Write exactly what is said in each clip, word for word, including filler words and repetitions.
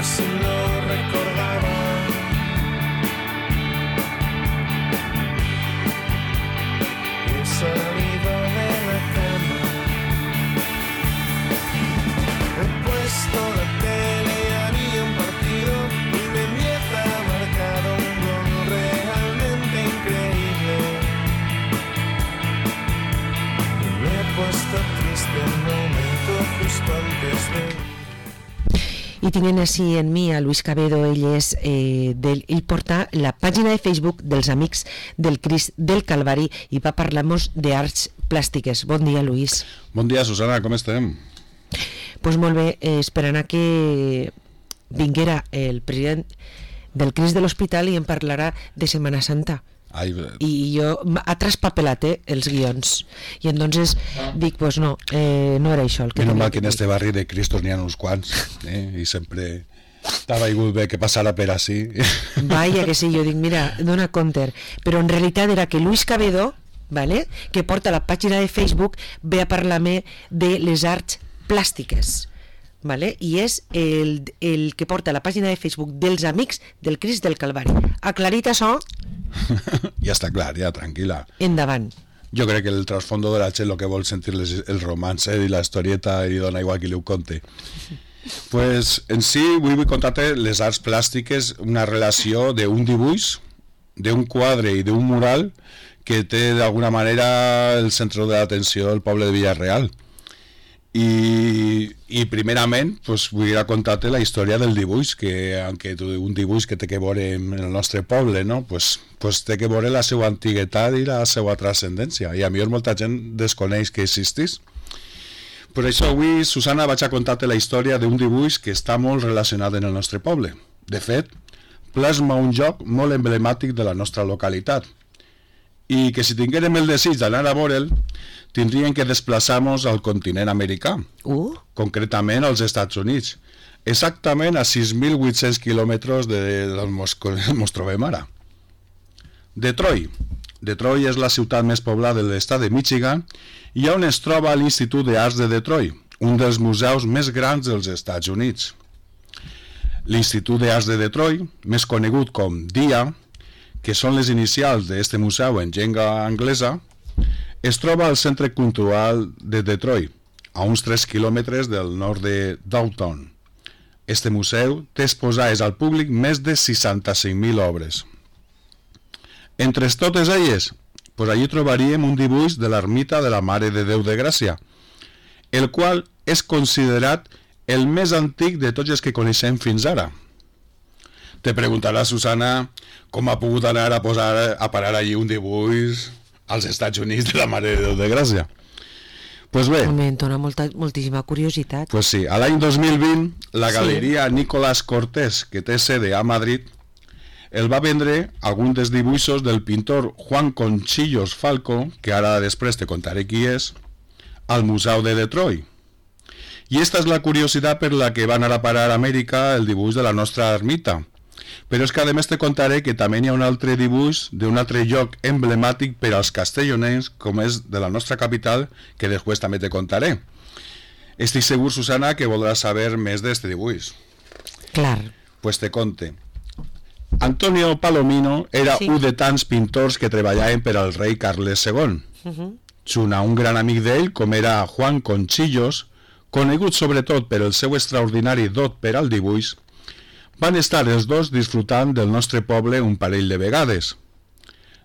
casi lo recordaba. He salido de la cama, he puesto la tele y había un partido y me empieza marcado un gol realmente increíble. Y me he puesto triste en un momento justo antes de... I tinguem així en mi a Luis Cabedo. Ell és eh, del, ell porta la pàgina de Facebook dels Amics del Crist del Calvari i va parlar-nos d'arts plàstiques. Bon dia, Luis. Bon dia, Susana, com estem? Pues molt bé, eh, esperant a que vinguera el president del Crist de l'Hospital i em parlarà de Setmana Santa. Ai, I jo ha traspapelat eh, els guions i entonces dic, pues no, eh, no era això el que menos tenia mal que en dir. este barri de Cristos n'hi ha uns quants, eh? I sempre t'ha vingut bé que passara per així. Vaya que sí, jo dic, mira, dona compte, però en realitat era que Luis Cabedo, vale, que porta la pàgina de Facebook, ve a parlar-me de les arts plàstiques, vale? I és el, el que porta la pàgina de Facebook dels Amics del Crist del Calvari. Aclarit això? Ja està clar, ja, tranquil·la. Endavant. Jo crec que el trasfondo de la gent el que vol sentir les, el romance i la historieta i dona igual qui li ho conte. Pues en si vull, vull contar-te les arts plàstiques, una relació d'un dibuix, d'un quadre i d'un mural que té d'alguna manera el centre de l'atenció del poble de Villarreal. I, i primerament pues, vull contar-te la història del dibuix, que aunque un dibuix que té que veure en el nostre poble, no? pues, pues té que veure la seva antiguitat i la seva transcendència, i a mi molta gent desconeix que existís. Per això avui, Susana, vaig a contar-te la història d'un dibuix que està molt relacionat en el nostre poble. De fet, plasma un joc molt emblemàtic de la nostra localitat, i que si tinguérem el desig d'anar a veure'l, tindríem que desplaçar-nos al continent americà, Uh. concretament als Estats Units, exactament a sis mil vuit-cents quilòmetres de, d'on mos, mos trobem ara. Detroit. Detroit és la ciutat més poblada de l'estat de Michigan i on es troba l'Institut d'Arts de Detroit, un dels museus més grans dels Estats Units. L'Institut d'Arts de Detroit, més conegut com D I A, que són les inicials d'aquest museu en llengua anglesa, es troba al Centre Cultural de Detroit, a uns tres quilòmetres del nord de Downtown. Este museu té exposades al públic més de seixanta-cinc mil obres. Entre totes elles, pues allí trobaríem un dibuix de l'ermita de la Mare de Déu de Gràcia, el qual és considerat el més antic de tots els que coneixem fins ara. Te preguntarà, Susana, com ha pogut anar a posar a parar allí un dibuix als Estats Units de la Mare de Déu de Gràcia. Pues bé, Home, em dona molta, moltíssima curiositat. pues sí, a l'any dos mil vint, la galeria sí. Nicolás Cortés, que té sede a Madrid, el va vendre algun dels dibuixos del pintor Juan Conchillos Falco, que ara després te contaré qui és, al Museu de Detroit. I esta és la curiositat per la que va anar a parar a Amèrica el dibuix de la nostra ermita. Però és que a més te contaré que també hi ha un altre dibuix d'un altre lloc emblemàtic per als castellonencs, com és de la nostra capital, que després també te contaré. Estic segur, Susana, que voldràs saber més d'aquest dibuix. Clar. Pues te conte. Antonio Palomino era Sí. un de tants pintors que treballaven per al rei Carles segon. Uh-huh. Junt a un gran amic d'ell, com era Juan Conchillos, conegut sobretot per el seu extraordinari dot per al dibuix, van estar els dos disfrutant del nostre poble un parell de vegades.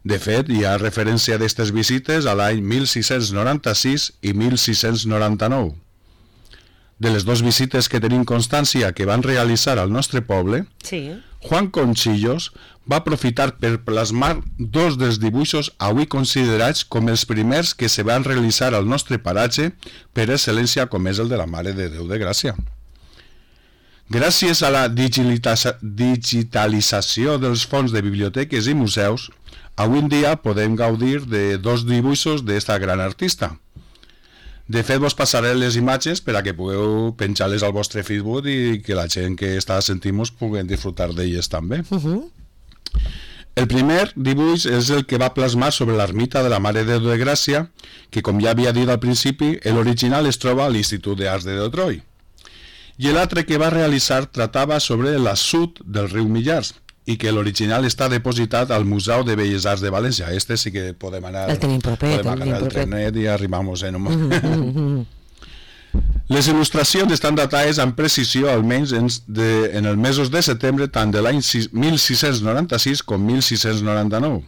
De fet, hi ha referència d'aquestes visites a l'any mil sis-cents noranta-sis i mil sis-cents noranta-nou. De les dues visites que tenim constància que van realitzar al nostre poble, Sí. Juan Conchillos va aprofitar per plasmar dos dels dibuixos avui considerats com els primers que se van realitzar al nostre paratge per excel·lència, com és el de la Mare de Déu de Gràcia. Gràcies a la digitalització dels fons de biblioteques i museus, avui en dia podem gaudir de dos dibuixos d'esta gran artista. De fet, vos passaré les imatges per a que pugueu penjar-les al vostre Facebook i que la gent que està sentint-nos pugui disfrutar d'elles també. Uh-huh. El primer dibuix és el que va plasmar sobre l'ermita de la Mare de Déu de Gràcia, que, com ja havia dit al principi, l'original es troba a l'Institut d'Arts de Detroit. i l'altre que va realitzar tratava sobre l'assut del riu Millars, i que l'original està depositat al Museu de Belles Arts de València. Este sí que podem anar... El tenim propet, podem el tenim agarrar el propet. trenet i arribamos en un moment. Les il·lustracions estan datades amb precisió almenys en, de, en els mesos de setembre tant de l'any mil sis-cents noranta-sis com mil sis-cents noranta-nou,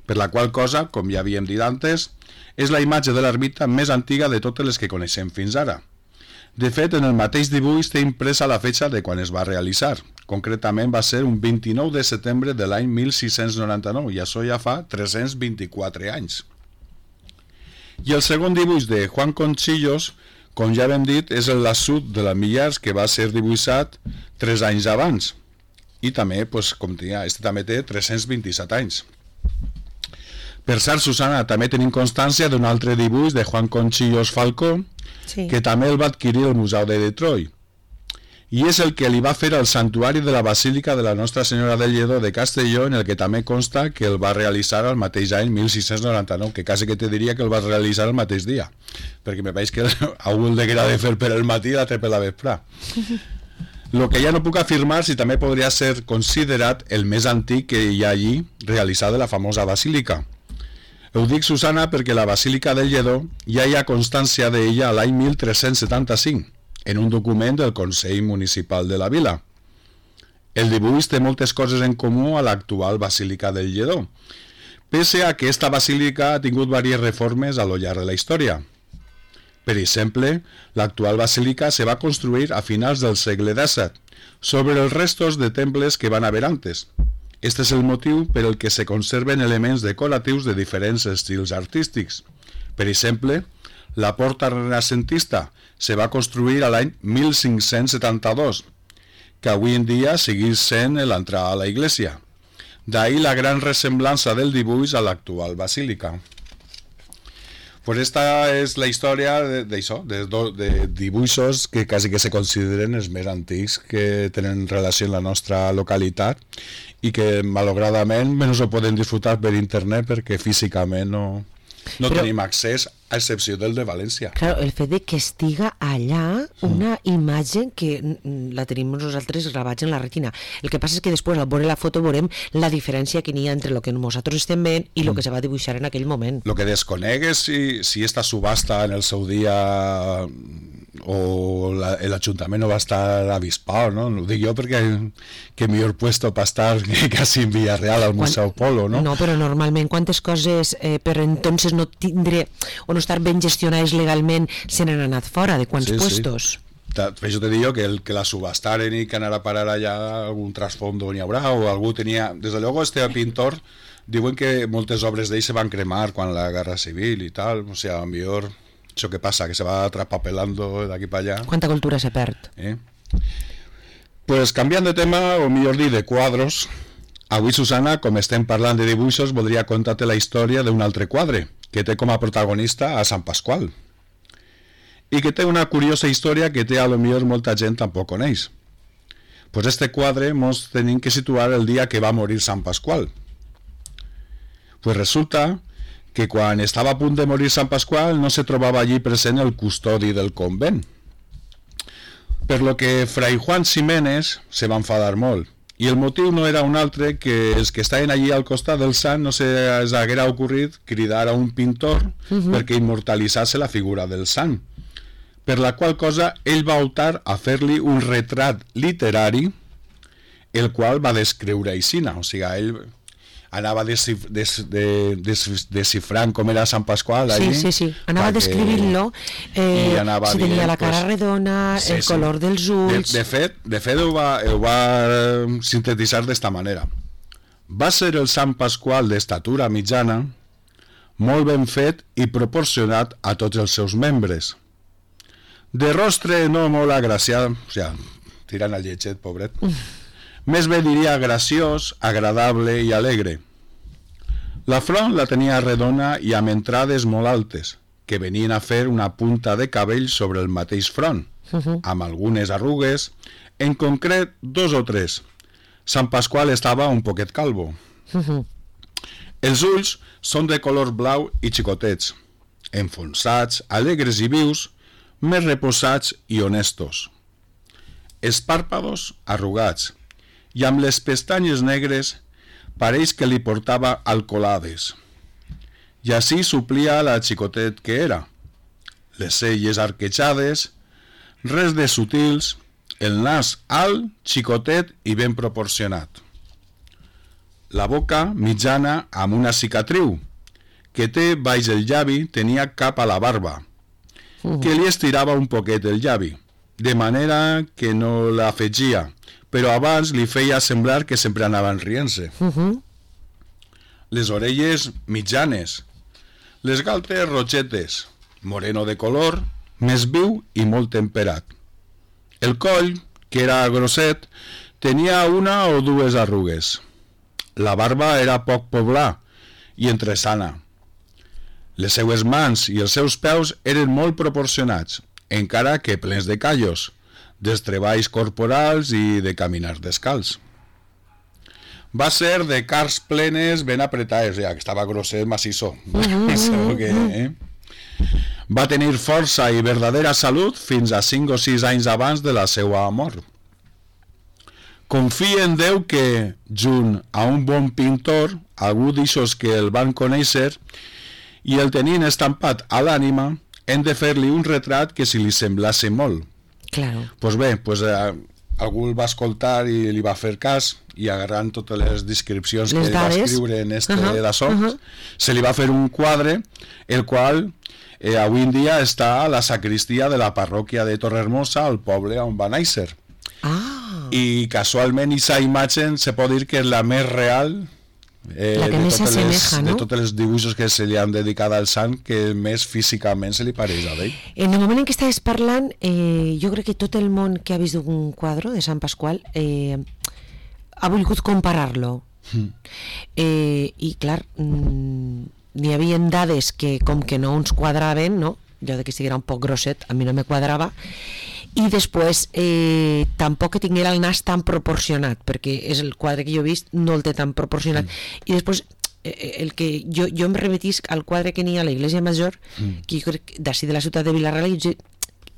per la qual cosa, com ja havíem dit antes, és la imatge de l'ermita més antiga de totes les que coneixem fins ara. De fet, en el mateix dibuix té impresa la fetxa de quan es va realitzar. Concretament va ser un vint-i-nou de setembre de l'any mil sis-cents noranta-nou, i això ja fa tres-cents vint-i-quatre anys. I el segon dibuix de Juan Conchillos, com ja hem dit, és l'assut de la Millars, que va ser dibuixat tres anys abans. I també, pues, com tenia, este també té tres-cents vint-i-set anys. Per cert, Susana, també tenim constància d'un altre dibuix de Juan Conchillos Falcó, Sí. que també el va adquirir el Museu de Detroit. I és el que li va fer al santuari de la Basílica de la Nostra Senyora del Lledó de Castelló, en el que també consta que el va realitzar el mateix any mil sis-cents noranta-nou, que quasi que te diria que el va realitzar el mateix dia, perquè me veig que algú el deguera de fer per el matí i l'altre per la vesprà. El que ja no puc afirmar si també podria ser considerat el més antic que hi ha allí realitzat de la famosa basílica. Ho dic, Susana, perquè la Basílica del Lledó ja hi ha constància d'ella l'any mil tres-cents setanta-cinc, en un document del Consell Municipal de la Vila. El dibuix té moltes coses en comú a l'actual Basílica del Lledó, pese a que esta basílica ha tingut diverses reformes a lo llarg de la història. Per exemple, l'actual basílica se va construir a finals del segle dèsset, sobre els restos de temples que van haver antes. Este és el motiu per el que se conserven elements decoratius de diferents estils artístics. Per exemple, la porta renacentista se va construir a l'any mil cinc-cents setanta-dos, que avui en dia segueix sent l'entrada a la iglesia. D'ahí la gran ressemblança del dibuix a l'actual basílica. Pues esta és la història d'això, de, de, de dibuixos que quasi que se consideren els més antics que tenen relació amb la nostra localitat i que malauradament menys ho poden disfrutar per internet perquè físicament no, no Però... tenim accés, a excepció del de València. Claro, el fet de que estiga allà una imatge que mm, la tenim nosaltres gravats en la retina. El que passa és que després, al veure la foto, veurem la diferència que n'hi ha entre el que nosaltres estem veient i el que se va dibuixar en aquell moment. Lo que desconec és si, si esta subhasta en el seu dia o l'Ajuntament no va estar avispado, ¿no? Ho dic jo perquè que millor puesto per estar quasi en Villarreal al Museu Polo, no? No, però normalment quantes coses eh, per entonces no tindre o no estar ben gestionades legalment se n'han anat fora, de quants Sí, sí. puestos. Ta- Per això te dic jo que, el, que la subastaren i que anar a parar allà algun trasfondo n'hi haurà o algú tenia... Des de luego este pintor diuen que moltes obres d'ell se van cremar quan la Guerra Civil i tal, o sigui, a lo millor això que passa, que se va traspapelando d'aquí per allà. Quanta cultura se perd. Eh? Pues canviant de tema, o millor dir, de quadros, avui, Susana, com estem parlant de dibuixos, voldria contar-te la història d'un altre quadre, que té com a protagonista a Sant Pasqual, i que té una curiosa història que té a lo millor molta gent tampoc coneix. Pues este quadre mos tenim que situar el dia que va morir Sant Pasqual. Pues resulta que quan estava a punt de morir Sant Pasqual no se trobava allí present el custodi del convent. Per lo que Fray Juan Ximénez se va enfadar molt, i el motiu no era un altre que els que estaven allí al costat del sant no se els haguera ocorrit cridar a un pintor uh-huh. perquè immortalitzase la figura del sant, per la qual cosa ell va optar a fer-li un retrat literari, el qual va descriure aixina, o sigui, ell anava descif des de des descifrant com era Sant Pasqual allí, sí, sí, sí, anava perquè... descrivint-lo eh, anava si tenia dient, la cara pues, redona, sí, el sí. color dels ulls. De, de fet, de fet ho va, ho va sintetitzar d'esta manera. Va ser el Sant Pasqual d'estatura mitjana, molt ben fet i proporcionat a tots els seus membres. De rostre no molt agraciat, o sigui, tirant al lletget, pobret. Més bé diria graciós, agradable i alegre. La front la tenia redona i amb entrades molt altes, que venien a fer una punta de cabell sobre el mateix front, uh-huh. amb algunes arrugues, en concret dos o tres. Sant Pasqual estava un poquet calvo. Uh-huh. Els ulls són de color blau i xicotets, enfonsats, alegres i vius, més reposats i honestos. els pàrpados arrugats i amb les pestanyes negres pareix que li portava alcoholades. I així suplia la xicotet que era. Les celles arquejades, res de sutils, el nas alt, xicotet i ben proporcionat. La boca mitjana amb una cicatriu, que té baix el llavi tenia cap a la barba, que li estirava un poquet el llavi, de manera que no l'afegia, però abans li feia semblar que sempre anaven rient-se. Uh -huh. Les orelles mitjanes, les galtes rogetes, moreno de color, més viu i molt temperat. El coll, que era grosset, tenia una o dues arrugues. La barba era poc poblà i entresana. Les seues mans i els seus peus eren molt proporcionats, encara que plens de callos, dels treballs corporals i de caminar descalç. Va ser de cars plenes ben apretades, ja que estava grosset, macisso. Mm-hmm. que, eh? Va tenir força i verdadera salut fins a cinc o sis anys abans de la seva mort. Confia en Déu que, junt a un bon pintor, algú d'ixos que el van conèixer, i el tenien estampat a l'ànima, hem de fer-li un retrat que si li semblase molt. Claro. Pues bé, pues, eh, algú el va escoltar i li va fer cas, i agarrant totes les descripcions les que dades. va escriure en este uh -huh. d'això, uh -huh. se li va fer un quadre, el qual eh, avui en dia està a la sacristia de la parròquia de Torrehermosa, al poble on va néixer. Ah. I casualment aquesta imatge se pot dir que és la més real, Eh, la que de més s'assemeja, les, no? de tots els dibuixos que se li han dedicat al sant, que més físicament se li pareix a ell. En el moment en què estaves parlant, eh, jo crec que tot el món que ha vist un quadre de Sant Pasqual eh, ha volgut comparar-lo. Mm. Eh, I clar, mm, n'hi havia dades que com que no ens quadraven, no? Jo de que estiguera un poc grosset, a mi no me quadrava, i després eh, tampoc que tinguera el nas tan proporcionat, perquè és el quadre que jo he vist, no el té tan proporcionat. Mm. I després eh, el que jo, jo em remetisc al quadre que n'hi ha a l'Església Major, mm. que jo crec d'ací de la ciutat de Vila-real, i jo,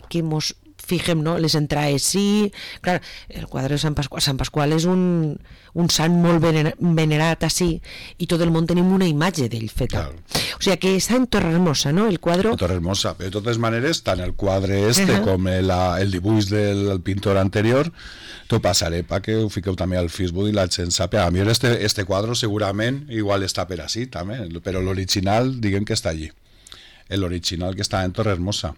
que mos fixem, no? Les entrades, sí, clar, el quadre de Sant Pasqual, Sant Pasqual és un, un sant molt venerat així, i tot el món tenim una imatge d'ell feta. Claro. O sigui que està en Torrehermosa, no? El quadre... Torrehermosa, de totes maneres, tant el quadre este uh -huh. com el, el dibuix del, del pintor anterior, t'ho passaré perquè ho fiqueu també al Facebook i la gent sàpiga. A mi este, este quadre segurament igual està per així també, però l'original diguem que està allí. L'original que està en Torrehermosa.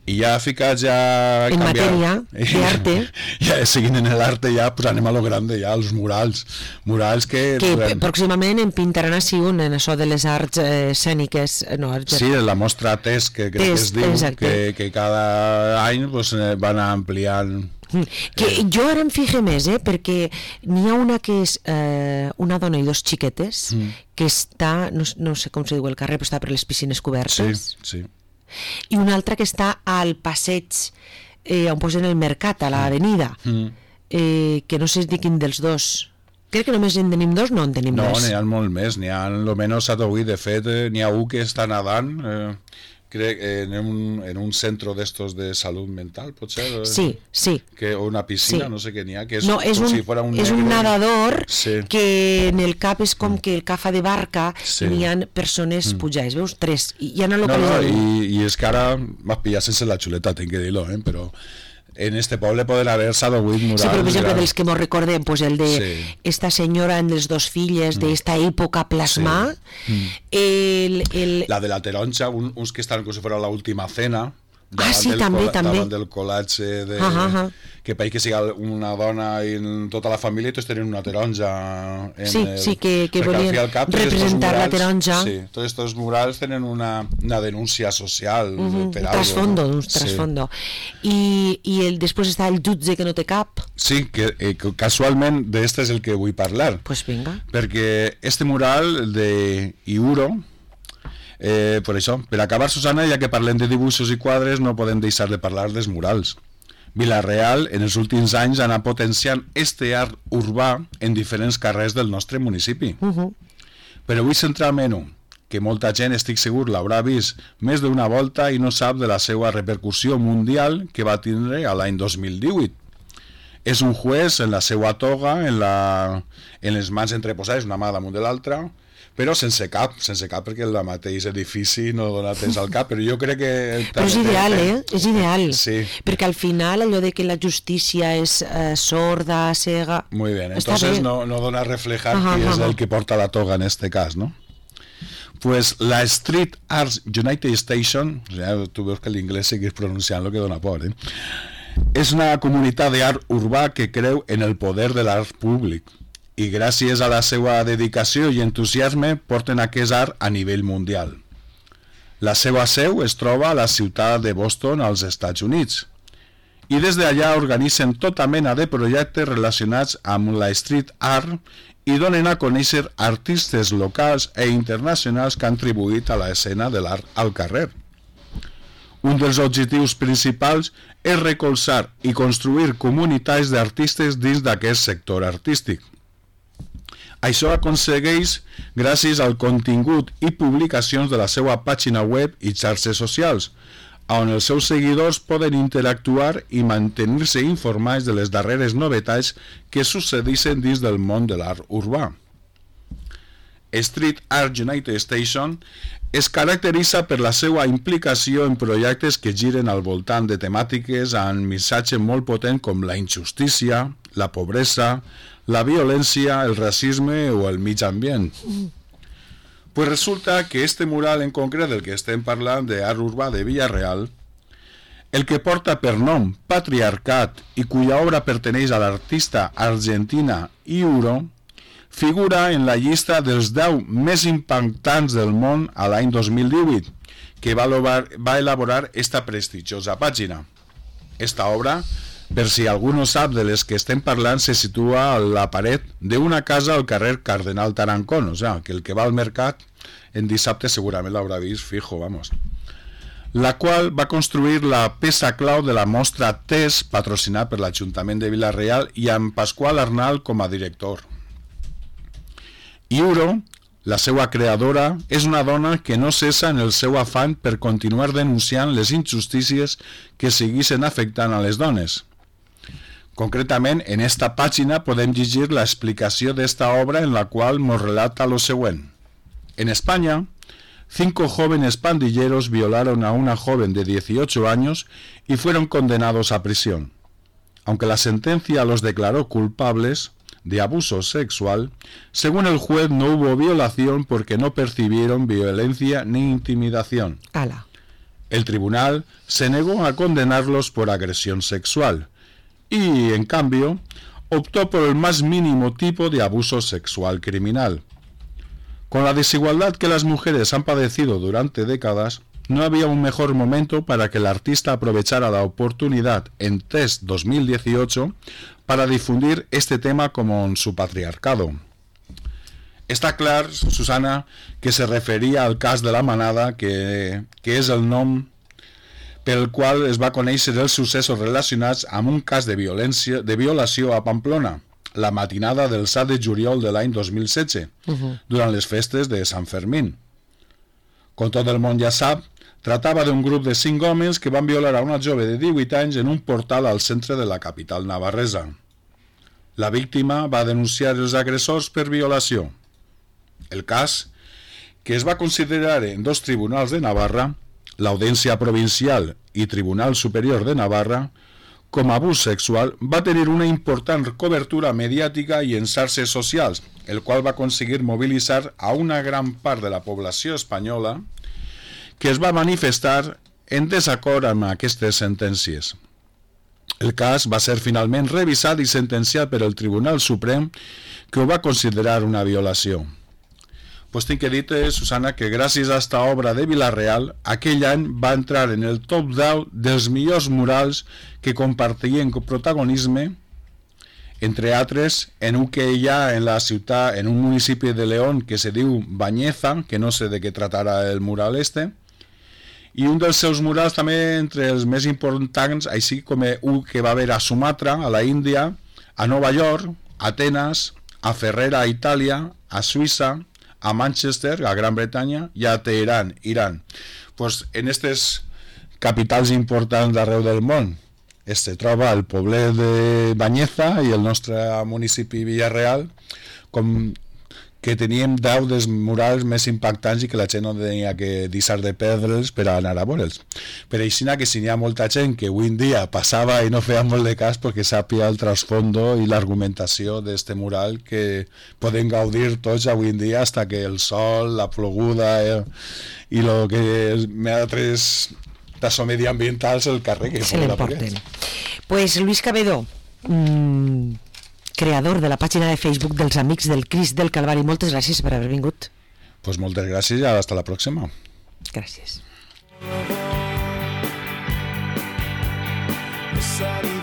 I ja ficats ja... En canviar, matèria d'arte. Ja seguint en l'arte ja, pues anem a lo grande ja, els murals. Murals que... Que podem... pròximament en pintaran així un, en això de les arts eh, escèniques. No, arts... Sí, la mostra T E S, que crec Test, que es diu, que, exacte. que cada any pues, van ampliant... Que eh... jo ara em fixe més, eh, perquè n'hi ha una que és eh, una dona i dos xiquetes, mm. que està, no, no sé com se diu el carrer, però està per les piscines cobertes. Sí, sí. I una altra que està al passeig eh, on posen el mercat, a l'avenida, mm. eh, que no sé de quin dels dos. Crec que només en tenim dos, no en tenim no, més. No, n'hi ha molt més, n'hi ha almenys a Togui, de fet, eh, n'hi ha un que està nedant, eh, crec, en un, en un centre d'estos de salut mental, potser? Eh? Sí, sí. Que, o una piscina, sí. no sé què n'hi ha, que és, no, és com un, si fora un és negre. un nadador sí. que en el cap és com que el que fa de barca, sí. n'hi ha persones mm. pujades, veus? Tres, i ja no lo no, no, i, i és que ara m'has pillat sense la xuleta, tinc que dir-lo, eh? Però en este poble poden haver seduït murals. Sí, però per exemple dels que mos recordem, pues el de sí. esta senyora amb les dos filles mm. d'esta època plasmar, sí. mm. el, el... la de la taronja, un, uns que estan com si fos la última cena, ah, sí, també, també. davant del col·latge de, uh -huh. que pareix que sigui una dona i tota la família i tots tenen una taronja en sí, el, sí, que, que volien cap, representar murals, la taronja sí, tots aquests murals tenen una, una denúncia social uh -huh, per un algo, trasfondo, no? un trasfondo sí. I, i el, després està el jutge que no té cap. Sí, que, eh, que casualment d'este és el que vull parlar, pues vinga. perquè este mural de Iuro, Eh, per això, per acabar, Susana, ja que parlem de dibuixos i quadres, no podem deixar de parlar dels murals. Vila-real, en els últims anys, ha anat potenciant este art urbà en diferents carrers del nostre municipi. Uh -huh. Però vull centrar-me en un, que molta gent, estic segur, l'haurà vist més d'una volta i no sap de la seva repercussió mundial que va tindre a l'any dos mil divuit. És un juez en la seva toga, en, la, en les mans entreposades, una mà damunt de l'altra, però sense cap, sense cap perquè el mateix edifici no dona temps al cap, però jo crec que... Però és ideal, eh? És ideal. Sí. Perquè al final allò de que la justícia és eh, sorda, cega... Muy bien, entonces no, no dona a reflejar ajá, qui ajá. és el que porta la toga en este cas, ¿no? Pues la Street Arts United Station, o sea, tu veus que l'inglès seguís pronunciant lo que dona por, eh? És una comunitat d'art urbà que creu en el poder de l'art públic i gràcies a la seva dedicació i entusiasme porten aquest art a nivell mundial. La seva seu es troba a la ciutat de Boston, als Estats Units, i des d'allà organitzen tota mena de projectes relacionats amb la street art i donen a conèixer artistes locals e internacionals que han contribuït a l'escena de l'art al carrer. Un dels objectius principals és recolzar i construir comunitats d'artistes dins d'aquest sector artístic. Això aconsegueix gràcies al contingut i publicacions de la seva pàgina web i xarxes socials, on els seus seguidors poden interactuar i mantenir-se informats de les darreres novetats que succeeixen dins del món de l'art urbà. Street Art United Station es caracteritza per la seva implicació en projectes que giren al voltant de temàtiques amb missatge molt potent com la injustícia, la pobresa, la violència, el racisme o el mig ambient. Pues resulta que este mural en concret del que estem parlant d'art urbà de Vila-real, el que porta per nom Patriarcat i cuya obra perteneix a l'artista argentina Iuro, figura en la llista dels deu més impactants del món a l'any dos mil divuit, que va elaborar, va elaborar esta prestigiosa pàgina. Esta obra, per si algú no sap de les que estem parlant, se situa a la paret d'una casa al carrer Cardenal Tarancón, o sea, que el que va al mercat en dissabte segurament l'haurà vist fijo, vamos. La qual va construir la peça clau de la mostra T E S, patrocinat per l'Ajuntament de Vila-real i amb Pasqual Arnal com a director. Iuro, la seva creadora, és una dona que no cessa en el seu afany per continuar denunciant les injustícies que segueixen afectant a les dones. Concretament, en esta pàgina podem llegir la explicació d'esta obra en la qual nos relata lo següent. En España, cinco jóvenes pandilleros violaron a una joven de dieciocho años y fueron condenados a prisión. Aunque la sentencia los declaró culpables de abuso sexual, según el juez no hubo violación porque no percibieron violencia ni intimidación. Ala. El tribunal se negó a condenarlos por agresión sexual y, en cambio, optó por el más mínimo tipo de abuso sexual criminal. Con la desigualdad que las mujeres han padecido durante décadas, no había un mejor momento para que el artista aprovechara la oportunidad en T E S dos mil dieciocho para difundir este tema como en su patriarcado. Està clar, Susana, que se referia al cas de la Manada, que, que és el nom pel qual es va conèixer els successos relacionats amb un cas de violència, de violació a Pamplona, la matinada del set de juliol de l'any dos mil setze, uh-huh. durant les festes de Sant Fermín. Com tot el món ja sap, tractava d'un grup de cinc homes que van violar a una jove de divuit anys en un portal al centre de la capital navarresa. La víctima va denunciar els agressors per violació. El cas, que es va considerar en dos tribunals de Navarra, l'Audiència Provincial i Tribunal Superior de Navarra, com a abús sexual, va tenir una important cobertura mediàtica i en xarxes socials, el qual va aconseguir mobilitzar a una gran part de la població espanyola que es va manifestar en desacord amb aquestes sentències. El cas va ser finalment revisat i sentenciat per el Tribunal Suprem, que ho va considerar una violació. Pues tinc que dir-te, Susana, que gràcies a esta obra de Vila-real, aquell any va entrar en el top deu dels millors murals que compartien protagonisme, entre altres, en un que hi ha en la ciutat, en un municipi de León que se diu Bañeza, que no sé de què tratarà el mural este, i un dels seus murals també entre els més importants, així com un que va haver a Sumatra, a la Índia, a Nova York, a Atenes, a Ferrera, a Itàlia, a Suïssa, a Manchester, a Gran Bretanya, i a Teherán, Iran. Pues en aquestes capitals importants d'arreu del món, es troba al poblet de Banyeza i el nostre municipi Villarreal, com que teníem deu dels murals més impactants i que la gent no tenia que deixar de perdre'ls per anar a veure'ls. Per això que si n'hi ha molta gent que avui en dia passava i no feia molt de cas perquè sàpia el trasfondo i l'argumentació d'aquest mural que podem gaudir tots avui en dia hasta que el sol, la ploguda eh, i el que més altres tasso mediambientals el carreguen. Se l'emporten. Pues Luis Cabedo, mmm, creador de la pàgina de Facebook dels Amics del Crist del Calvari, moltes gràcies per haver vingut. Pues moltes gràcies i hasta la pròxima. Gràcies. Salir